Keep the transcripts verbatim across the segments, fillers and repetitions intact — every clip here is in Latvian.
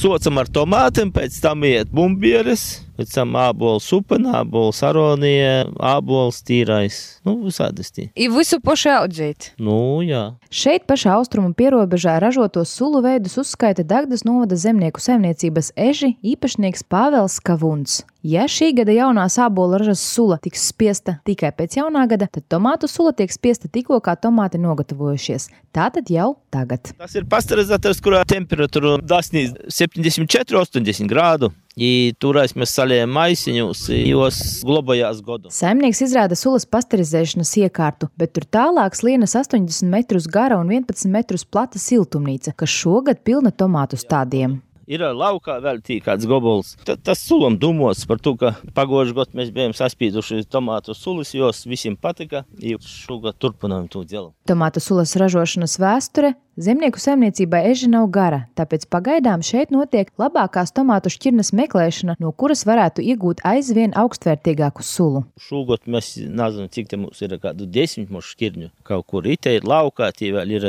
Socam ar tomātiem, pēc tam iet bumbieres, pēc tam ābols upena, ābols aronija, ābols tīrais. Nu, visādas tie. I visu paši audzēt? Nu, jā. Šeit pašā austrumu pierobežā ražotos sulu veidus uzskaita Dagdas novada zemnieku saimniecības eži īpašnieks Pāvels Kavuns. Ja šī gada jaunā ābola ražas sula tiks spiesta tikai pēc jaunā gada, tad tomātu sula tiek spiesta tikko, kā tomāti nogatavojušies. Tātad jau tagad. Tas ir pasterizators, kurā temperatūra dasnīs septiņdesmit četri astoņdesmit grādu. I turēs mēs saliejam maisiņus, jos globājās godu. Saimnieks izrāda sulas pasterizēšanas iekārtu, bet tur tālāk slienas astoņdesmit metrus gara un vienpadsmit metrus plata siltumnīca, kas šogad pilna tomātu stādiem. Ir laukā vēl tī kāds gobols. T tas sulam dumos par to, ka pagojuši gadu mēs bijām saspīduši tomātu sulas, jos visiem patika, i šogad turpinājam to dzelu. Tomātu sulas ražošanas vēsture zemnieku saimniecībai eži nav gara, tāpēc pagaidām šeit notiek labākās tomātu šķirnes meklēšana, no kuras varētu iegūt aizvien augstvērtīgāku sulu. Šogad mēs nezinu, cik te mums ir kādu desmit mūsu šķirņu kaut kur. Ite ir laukā, tie vēl ir.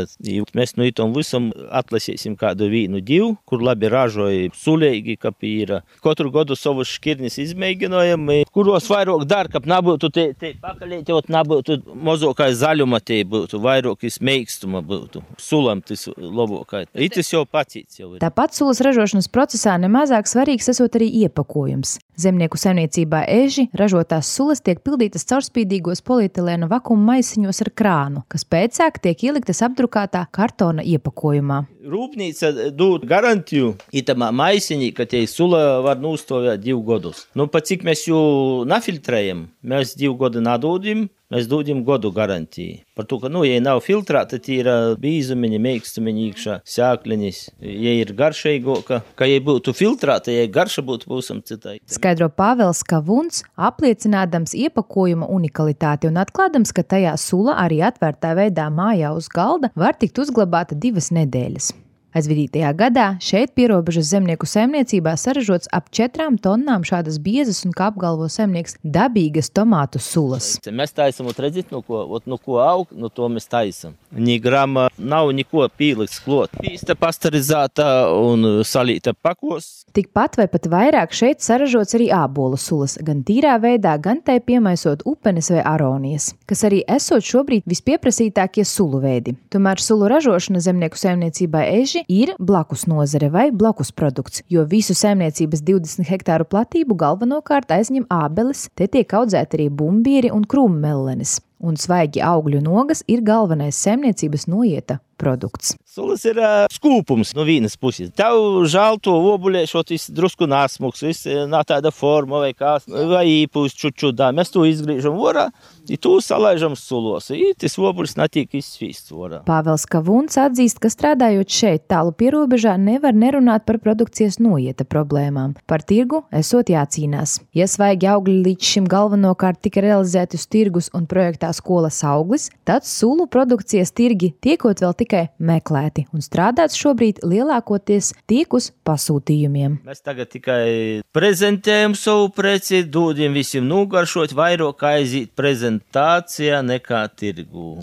Mēs no itom visam atlasīsim kādu vīnu divu, kur labi ražoja sulēgi, kap ir. Katru gadu savus šķirnis izmēģinojam, kuros vairāk dar, kap nebūtu te, te pakalēti, ot nebūtu mazākai zaļuma te būtu, vairāk mēkstuma būtu. Sulam tas labākai. Itis jau pacīts jau ir. Tāpat sulas ražošanas procesā nemazāk svarīgs esot arī iepakojums. Zemnieku saimniecībā eži ražotās sulas tiek pildītas caurspīdīgos polietilēna vakuma maisiņos ar krānu, kas pēcāk tiek ieliktas apdrukātā kartona iepakojumā. Rūpnīca dod garantiju itamā maisiņī, ka tie sula var nūstovēt divu godus. Nu, pa cik mēs jū nafiltrējam, mēs divu godu nadūdim, mēs dodam godu garantiju. Par to, ka, nu, ja nav filtrēta, tie ir bīzumiņi, meikstumiņi iekšā, sēkliņas, ja ir garšeigāka, ka, ja būtu filtrēta, ja garša būtu būsam citai. Skaidro Pāvels Kavuns, apliecinādams iepakojuma unikalitāti un atklādams, ka tajā sula arī atvērtā veidā mājā uz galda var tikt uzglabāta divas nedēļas. Aizvadītajā gadā šeit pierobežas zemnieku saimniecībā saražots ap četrām tonnām šādas biezas un, kā apgalvo saimnieks, dabīgas tomātu sulas. Mēs taisam, ot redzit, no ko, ot, no ko aug, no to mēs taisam. Ni grama nav niko pīliks klot. Pīsta pasterizēta un salīta pakos. Tikpat vai pat vairāk šeit saražots arī ābolu sulas, gan tīrā veidā, gan tai piemaisot upenes vai aronijas, kas arī esot šobrīd vispieprasītākie sulu veidi. Tomēr sulu ražošana zemnieku saimniecībā eži ir blakus nozare vai blakus produkts, jo visu saimniecības divdesmit hektāru platību galvenokārt aizņem ābeles, te tiek audzēti arī bumbieri un krūmmellenes. Un svaigi augļu nogas ir galvenais saimniecības noieta produkts. Sulas ir uh, skūpums no vienas puses. Tev žēl to obuļēšot, viss drusku nasmuks, viss nav tāda forma vai kā, vai īpūst čučudā. Mēs to izgriežam vorā, i to salaižam sulos. I tas obuļs netiek izsvīsts vorā. Pāvels Kavuns atzīst, ka strādājot šeit tālu pierobežā nevar nerunāt par produkcijas noieta problēmām. Par tirgu esot jācīnās. Ja svaigi augļi līdz šim galvenokārt tika realizēti uz tirgus un projektā skolas auglis, tad sulu produkcijas tirgi tiekot vēl tikai meklēti un strādāts šobrīd lielākoties tiek uz pasūtījumiem. Mēs tagad tikai prezentējam savu preci, dodam visiem nogaršot, vairāk aiziet prezentācijā nekā tirgu.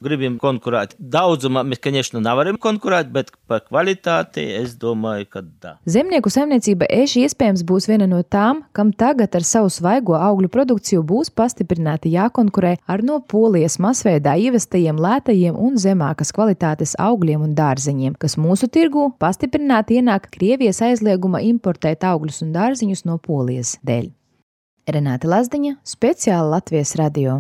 Gribam konkurēt. Daudzumā mēs, конечно, nevaram konkurēt, bet par kvalitāti es domāju, ka da. Zemnieku saimniecība eži iespējams būs viena no tām, kam tagad ar savu svaigo augļu produkciju būs pastiprināti jākonkurē ar no Polijas masveidā ievestajiem lētajiem un zemākas kvalitātes augļiem un dārzeņiem, kas mūsu tirgū pastiprināti ienāk Krievijas aizlieguma importēt augļus un dārziņus no Polijas dēļ. Renāte Lazdiņa, speciāli Latvijas radio.